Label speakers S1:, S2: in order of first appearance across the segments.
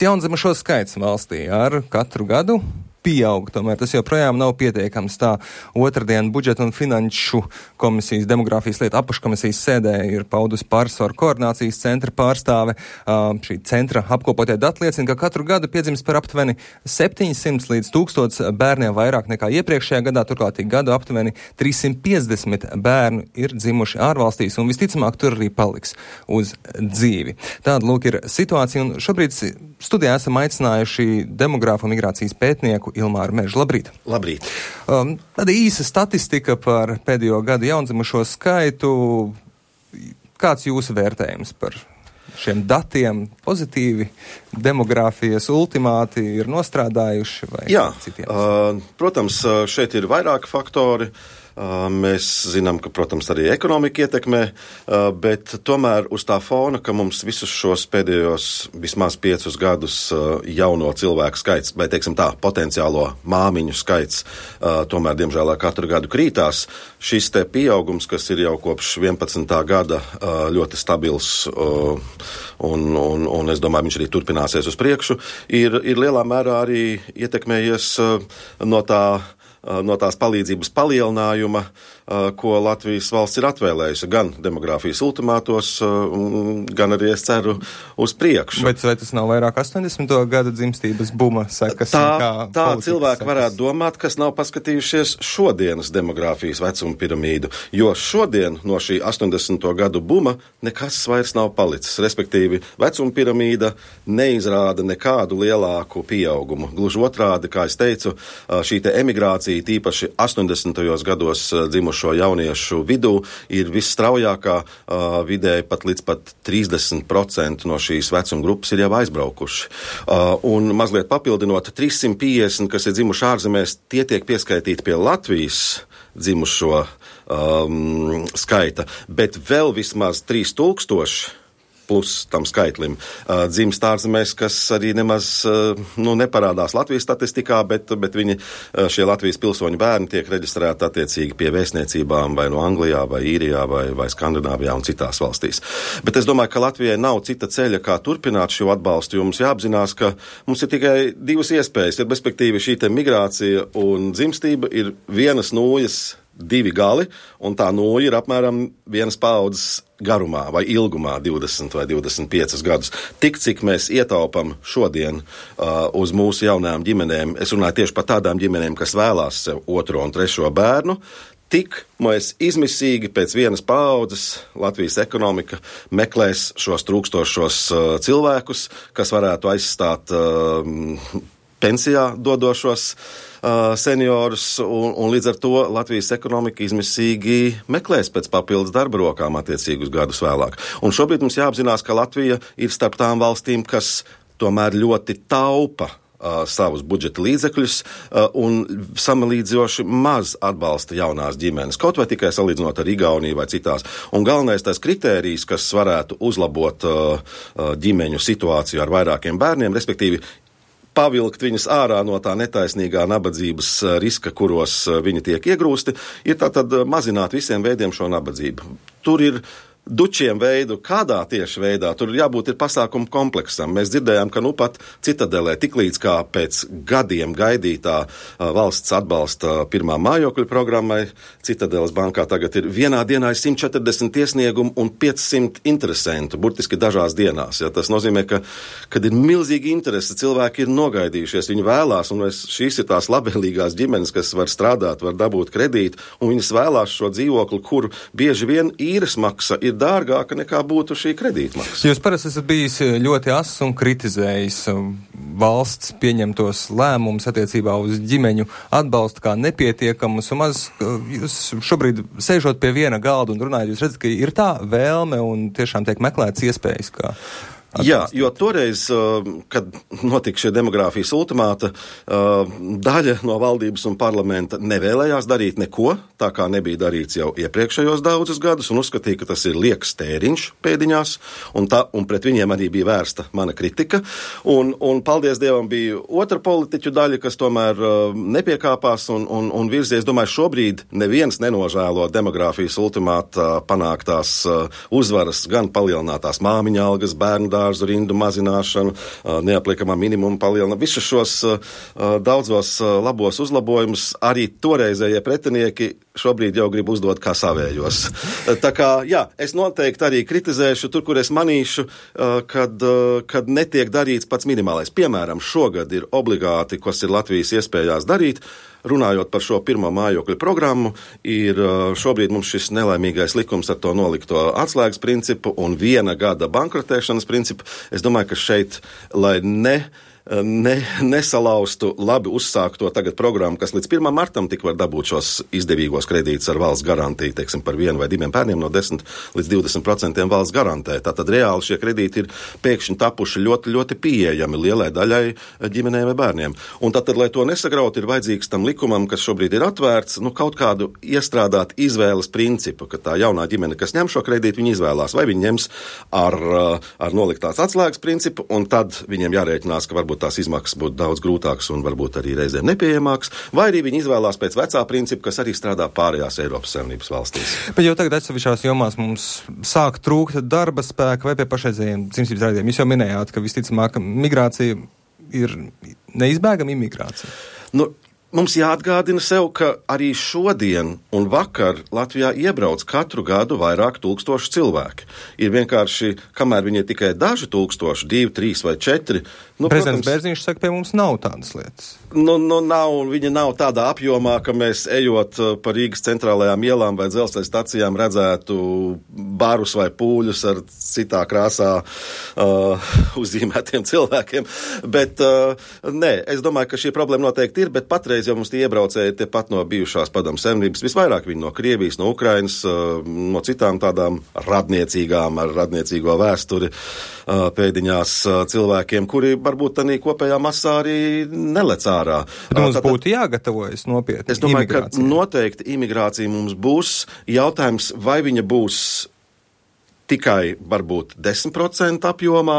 S1: Jaundzimušo skaits valstī ar katru gadu pieaug, tomēr tas joprojām nav pietiekams. Tā otrdien budžeta un finanšu komisijas demogrāfijas lietu apakškomisijas sēdē ir paudusi Pārsvaru koordinācijas centra pārstāve. Šī centra apkopotie dati liecina, ka katru gadu piedzimst par aptuveni 700 līdz 1000 bērniem vairāk nekā iepriekšējā gadā, turklāt gadu aptuveni 350 bērnu ir dzimuši ārvalstīs un visticamāk tur arī paliks uz dzīvi. Tāda lūk ir situācija un šobrīd studijā esam aicinājuši demogrāfu un migrācijas pētnieku Ilmāru Mežu. Labrīt!
S2: Labrīt!
S1: Tāda īsa statistika par pēdējo gadu jaundzimušo skaitu. Kāds jūsu vērtējums par šiem datiem? Pozitīvi demogrāfijas ultimāti ir nostrādājuši vai citiem?
S2: Protams, šeit ir vairāki faktori. Mēs zinām, ka, protams, arī ekonomika ietekmē, bet tomēr uz tā fona, ka mums visus šos pēdējos vismaz 5 gadus jauno cilvēku skaits, vai teiksim tā, potenciālo māmiņu skaits, tomēr, diemžēl, katru gadu krītās. Šis te pieaugums, kas ir jau kopš 11. gada ļoti stabils, un es domāju, viņš arī turpināsies uz priekšu, ir lielā mērā arī ietekmējies no tās palīdzības palielinājuma, ko Latvijas valsts ir atvēlējusi gan demogrāfijas ultimātos, gan arī, es ceru, uz priekšu.
S1: Bet vai tas nav vairāk 80. gada dzimstības buma sekas?
S2: Tā cilvēki varētu domāt, kas nav paskatījušies šodienas demogrāfijas vecuma piramīdu, jo šodien no šī 80. gadu buma nekas vairs nav palicis. Respektīvi, vecuma piramīda neizrāda nekādu lielāku pieaugumu. Gluži otrādi, kā es teicu, šī te emigrācija, tīpaši 80. gados dzimušo jauniešu vidū, ir visstraujākā, vidēji pat līdz 30% no šīs vecuma grupas ir jau aizbraukuši. Un mazliet papildinot, 350, kas ir dzimuši ārzemēs, tie tiek pieskaitīti pie Latvijas dzimušo skaita, bet vēl vismaz 3000 plus tam skaitlim dzimst ārzemēs, kas arī nemaz neparādās Latvijas statistikā, bet viņi, šie Latvijas pilsoņu bērni tiek reģistrēti attiecīgi pie vēstniecībām vai no Anglijā, vai Īrijā, vai Skandināvijā un citās valstīs. Bet es domāju, ka Latvijai nav cita ceļa, kā turpināt šo atbalstu, jo mums jāapzinās, ka mums ir tikai 2 iespējas, ir respektīvi šī te migrācija un dzimstība ir vienas nūjas 2 gali, un tā nūja ir apmēram 1 paaudzes garumā vai ilgumā 20 vai 25 gadus. Tik, cik mēs ietaupam šodien uz mūsu jaunām ģimenēm, es runāju tieši par tādām ģimenēm, kas vēlās sev 2. un 3. bērnu, tik mēs izmisīgi pēc 1 paaudzes Latvijas ekonomika meklēs šos trūkstošos cilvēkus, kas varētu aizstāt pensijā dodošos seniorus, un līdz ar to Latvijas ekonomika izmisīgi meklēs pēc papildus darba rokām attiecīgus gadus vēlāk. Un šobrīd mums jāapzinās, ka Latvija ir starp tām valstīm, kas tomēr ļoti taupa savus budžeta līdzekļus un samalīdzoši maz atbalsta jaunās ģimenes, kaut vai tikai salīdzinot ar Igauniju vai citās. Un galvenais tās kritērijs, kas varētu uzlabot ģimeņu situāciju ar vairākiem bērniem, respektīvi pavilkt viņus ārā no tā netaisnīgā nabadzības riska, kuros viņi tiek iegrūsti, ir tātad mazināt visiem veidiem šo nabadzību. Tur ir dučiem veidu, kādā tieši veidā, tur jābūt ir pasākumu kompleksam. Mēs dzirdējām, ka pat Citadelē tiklīdz kā pēc gadiem gaidītā valsts atbalsta pirmā mājokļu programmai, Citadeles bankā tagad ir vienā dienā 140 iesniegumu un 500 interesentu, burtiski dažās dienās. Ja? Tas nozīmē, ka, kad ir milzīgi interese, cilvēki ir nogaidījušies, viņi vēlās, un šīs ir tās labvēlīgās ģimenes, kas var strādāt, var dabūt kredītu, un viņas vēlās šo dzīvokli, kur bieži vien īres maksa ir dārgāka nekā būtu šī kredītmaksa.
S1: Jūs parasti esat bijis ļoti ass un kritizējis valsts pieņemtos lēmumus attiecībā uz ģimeņu atbalstu kā nepietiekamus, un maz jūs šobrīd sēžot pie viena galda un runājot, jūs redzat, ka ir tā vēlme un tiešām tiek meklēts iespējas, kā
S2: Jā, jo toreiz, kad notika šie demogrāfijas ultimāta, daļa no valdības un parlamenta nevēlējās darīt neko, tā kā nebija darīts jau iepriekšējos daudzus gadus, un uzskatīja, ka tas ir lieks tēriņš pēdiņās, un pret viņiem arī bija vērsta mana kritika. Un paldies Dievam bija otra politiķu daļa, kas tomēr nepiekāpās un virzies. Domāju, šobrīd neviens nenožēlo demogrāfijas ultimāta panāktās uzvaras, gan palielinātās māmiņa algas, bērnu dārzu rindu mazināšanu, neapliekamā minimuma palielināšanu, visus šos daudzos labos uzlabojumus arī toreizējie pretinieki šobrīd jau grib uzdot kā savējos. Tā kā, jā, es noteikti arī kritizēšu tur, kur es manīšu, kad netiek darīts pats minimālais. Piemēram, šogad ir obligāti, kas ir Latvijas iespējās darīt, runājot par šo pirmo mājokļu programmu, ir šobrīd mums šis nelaimīgais likums ar to nolikto atslēgas principu un 1 gada bankrotēšanas principu. Es domāju, ka šeit, lai nesalaustu labi uzsākto tagad programmu, kas līdz 1. martam tik var dabūt šos izdevīgos kredītus ar valsts garantiju, teiksim, par 1 vai 2 bērniem no 10 līdz 20% valsts garantē. Tātad reāli šie kredīti ir pēkšņi tapuši ļoti, ļoti pieejami lielai daļai ģimenēm vai bērniem. Un tātad, lai to nesagraut, ir vajadzīgs tam likumam, kas šobrīd ir atvērts, kaut kādu iestrādāt izvēles principu, ka tā jaunā ģimene, kas ņem šo kredītu, viņi izvēlās, vai viņi ņems ar noliktās atslēgas principu, un tad viņiem jārēķinās, ka varbūt tās izmaksas būtu daudz grūtākas un varbūt arī reizēm nepieejamākas, vai arī viņi izvēlās pēc vecā principa, kas arī strādā pārējās Eiropas Savienības valstīs.
S1: Bet jau tagad atsevišķās jomās mums sāk trūkt darba spēka vai pie pašreizējiem dzimstības raidiem. Jūs jau minējāt, ka visticamāk migrācija ir neizbēgama imigrācija.
S2: Mums jāatgādina sev, ka arī šodien un vakar Latvijā iebrauc katru gadu vairāk tūkstoši cilvēki. Ir vienkārši, kamēr viņi ir tikai daži tūkstoši, 2, 3 vai 4.
S1: Prezidents Bērziņš saka, pie mums nav tādas lietas.
S2: Viņa nav tādā apjomā, ka mēs ejot pa Rīgas centrālajām ielām vai dzelzceļa stacijām redzētu barus vai pūļus ar citā krāsā uzzīmētiem cilvēkiem. Bet nē, es domāju, ka šī problēma noteikti ir, bet patreiz jau mums tie iebraucēji tepat no bijušās padomu savienības, visvairāk viņi no Krievijas, no Ukrainas, no citām tādām radniecīgām, ar radniecīgo vēsturi pēdiņās cilvēkiem, kuri varbūt tādā kopējā masā arī nelec ārā.
S1: Bet mums būtu jāgatavojas nopietni.
S2: Es domāju, ka noteikti imigrācija mums būs. Jautājums, vai viņa būs tikai varbūt 10% apjomā,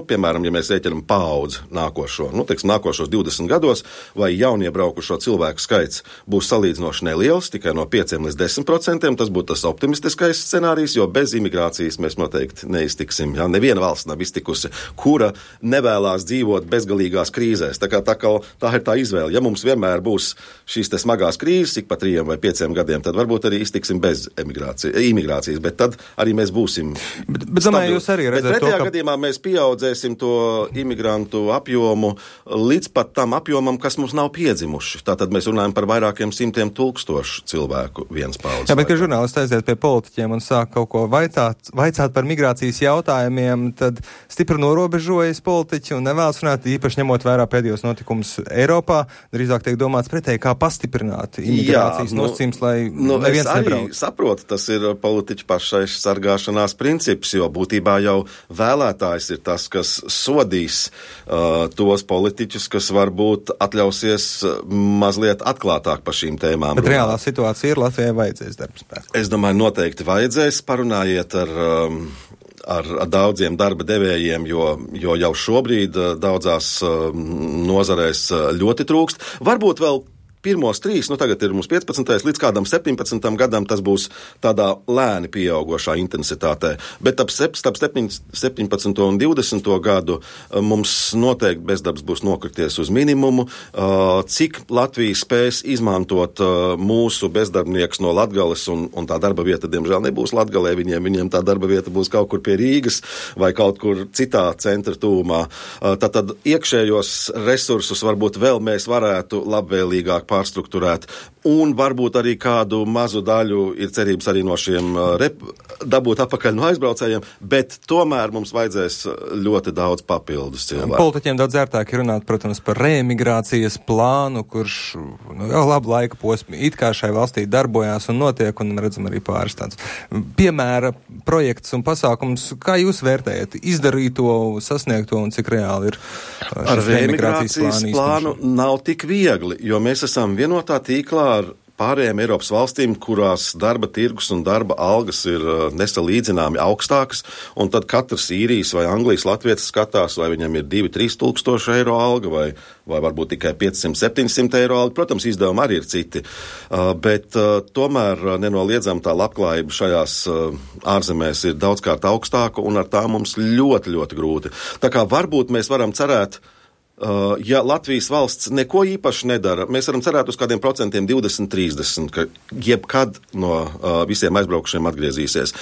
S2: piemēram, ja mēs rēķinām paudzi nākošo, nākošos 20 gados, vai jauniebraukušo cilvēku skaits būs salīdzinoši neliels, tikai no 5 līdz 10%, tas būtu tas optimistiskais scenārijs, jo bez imigrācijas mēs noteikti neiztiksim. Ja? Neviena valsts nav iztikusi, kura nevēlās dzīvot bezgalīgās krīzēs. Tā ir tā izvēle. Ja mums vienmēr būs šīs te smagās krīzes, ik pa 3 vai 5 gadiem, tad varbūt arī iztiksim bez imigrācijas, bet tad arī mēs būsim.
S1: Bet domāju, jūs arī redzat
S2: to, ka gadījumā mēs pieaudzēsim to imigrantu apjomu līdz pat tam apjomam, kas mums nav piedzimuši. Tātad mēs runājam par vairākiem 100,000 cilvēku vienas paudzes.
S1: Jā, bet, kad žurnālisti aiziet pie politiķiem un sāk kaut ko vaicāt par migrācijas jautājumiem, tad stipri norobežojas politiķi un nevēlas runāt, īpaši ņemot vērā pēdējos notikumus Eiropā. Drīzāk tiek domāts pretēji, kā pastiprināt imigrācijas nosacījums, lai neviens nebrauc.
S2: Es arī saprotu, tas ir politiķu pašai sargāšanās princips, jo būtībā jau vēlētājs ir tas, kas sodīs tos politiķus, kas varbūt atļausies mazliet atklātāk par šīm tēmām.
S1: Bet reālā situācija ir, Latvijai vajadzēs darbspēku.
S2: Es domāju, noteikti vajadzēs. Parunājiet ar daudziem darba devējiem, jo jau šobrīd daudzās nozarēs ļoti trūkst. Varbūt vēl pirmos 3, tagad ir mums 15. līdz kādam 17. gadam, tas būs tādā lēni pieaugošā intensitātē. Bet starp 17. un 20. gadu mums noteikti bezdarbs būs nokrities uz minimumu. Cik Latvija spēs izmantot mūsu bezdarbnieks no Latgales, un tā darba vieta, diemžēl, nebūs Latgalē, viņiem tā darba vieta būs kaut kur pie Rīgas vai kaut kur citā centra tūmā. Tad iekšējos resursus varbūt vēl mēs varētu labvēlīgāk pārstrukturēt, un varbūt arī kādu mazu daļu ir cerības arī no šiem dabūt atpakaļ no aizbraucējiem, bet tomēr mums vajadzēs ļoti daudz papildus cilvēku.
S1: Politiķiem daudz ērtāk ir runāt, protams, par reemigrācijas plānu, kurš jau labu laika posmu it kā šai valstī darbojās un notiek, un redzam arī pāris tāds piemēra projekts un pasākums. Kā jūs vērtējat izdarīto, sasniegto un cik reāli ir
S2: ar reemigrācijas plānu nav tik viegli, jo mēs esam vienotā tīklā ar pārējām Eiropas valstīm, kurās darba tirgus un darba algas ir nesalīdzināmi augstākas, un tad katrs īrijas vai Anglijas latvietis skatās, vai viņam ir 2-3 tūkstoši eiro alga, vai varbūt tikai 500-700 eiro alga. Protams, izdevumi arī ir citi, bet tomēr nenoliedzam tā labklājība šajās ārzemēs ir daudzkārt augstāka, un ar tā mums ļoti, ļoti grūti. Tā kā varbūt mēs varam cerēt, ja Latvijas valsts neko īpaši nedara, mēs varam cerēt uz kādiem procentiem 20-30, ka jebkad no visiem aizbraukušiem atgriezīsies.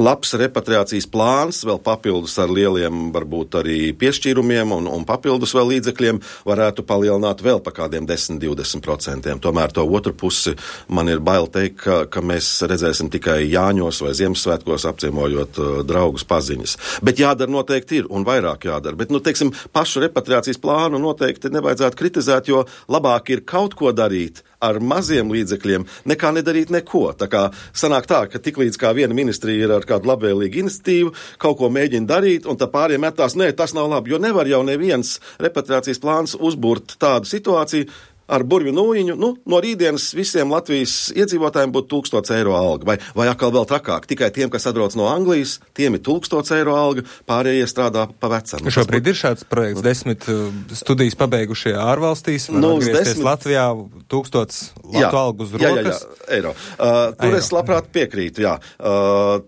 S2: Labs repatriācijas plāns, vēl papildus ar lieliem varbūt arī piešķīrumiem un papildus vēl līdzekļiem varētu palielināt vēl pa kādiem 10-20%. Tomēr to otru pusi man ir bail teikt, ka mēs redzēsim tikai Jāņos vai Ziemassvētkos apciemojot draugus paziņas. Bet jādara noteikti ir un vairāk jādara. Bet, teiksim, pašu repatriācijas plānu noteikti nevajadzētu kritizēt, jo labāk ir kaut ko darīt ar maziem līdzekļiem, nekā nedarīt neko. Tā kā sanāk tā, ka tiklīdz kā viena ministrija ir ar kādu labvēlīgu iniciatīvu, kaut ko mēģina darīt, un tā pāriem metās, nē, tas nav labi, jo nevar jau neviens repatriācijas plāns uzburt tādu situāciju, ar burvju nūjiņu, no rītdienas visiem Latvijas iedzīvotājiem būtu 1000 eiro alga, vai atkal vēl trakāk. Tikai tiem, kas atbrauc no Anglijas, tiem ir 1000 eiro alga, pārējie strādā pa vecam.
S1: Šobrīd ir šāds projekts, 10 studijas pabeigušie ārvalstīs, var atgriezties Latvijā, 1000 Latu algu uz rokas.
S2: Jā, eiro. Tur es labprāt piekrītu,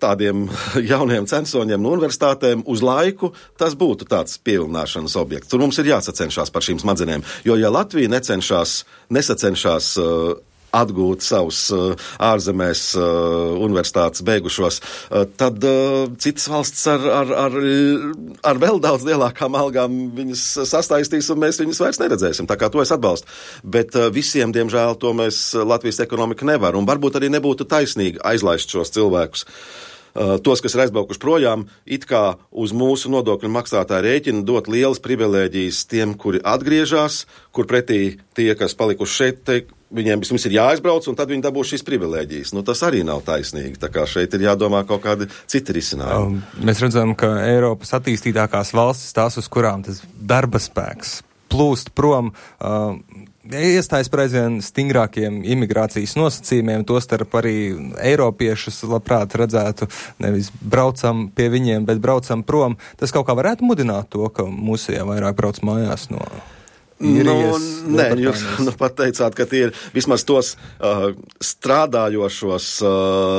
S2: tādiem jauniem censoņiem no universitātēm uz laiku, tas būtu tāds pievilināšanas objekts. Tur mums ir jāsacenšās par šīm smadzenēm, jo ja Latvija nesacenšas atgūt savus ārzemēs universitātes beigušos, tad citas valsts ar vēl daudz lielākām algām viņas sastaistīs, un mēs viņus vairs neredzēsim. Tā kā to es atbalstu. Bet visiem, diemžēl, to mēs Latvijas ekonomika nevar, un varbūt arī nebūtu taisnīgi aizlaist šos cilvēkus. Tos, kas ir aizbraukuši projām, it kā uz mūsu nodokļu maksātāju rēķina dot lielas privilēģijas tiem, kuri atgriežas, kur pretī tie, kas palikuši šeit, viņiem vispirms ir jāaizbrauc, un tad viņi dabūs šīs privilēģijas. Tas arī nav taisnīgi, tā kā šeit ir jādomā kaut kādi citi risinājumi.
S1: Mēs redzam, ka Eiropas attīstītākās valstis, tās, uz kurām tas darba spēks plūst prom, iestājas par aizvien stingrākiem imigrācijas nosacījumiem, tostarp arī eiropiešus labprāt redzētu, nevis braucam pie viņiem, bet braucam prom. Tas kaut kā varētu mudināt to, ka mūsējā vairāk brauc mājās no īrijas.
S2: Nē, jūs pat teicāt, ka tie ir vismaz tos strādājošos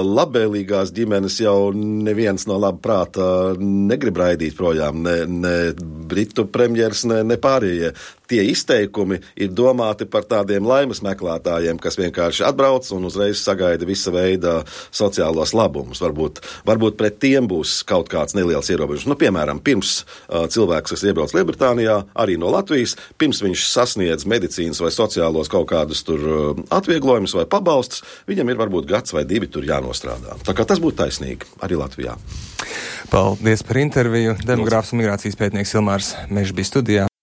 S2: labvēlīgās ģimenes jau neviens no laba prāta negrib raidīt projām, ne Britu premjers, ne pārējie. Tie izteikumi ir domāti par tādiem laimes meklētājiem, kas vienkārši atbrauc un uzreiz sagaida visa veida sociālos labumus. Varbūt pret tiem būs kaut kāds neliels ierobežums. Piemēram, pirms cilvēks, kas iebrauc Lielbritānijā, arī no Latvijas, pirms viņš sasniedz medicīnas vai sociālos kaut kādus tur atvieglojumus vai pabalstus, viņam ir varbūt gads vai 2 tur jānostrādā. Tā kā tas būtu taisnīgi arī Latvijā.
S1: Paldies par interviju. Demogrāfs un migrācijas pētnieks Ilmārs Mežs bija studijā.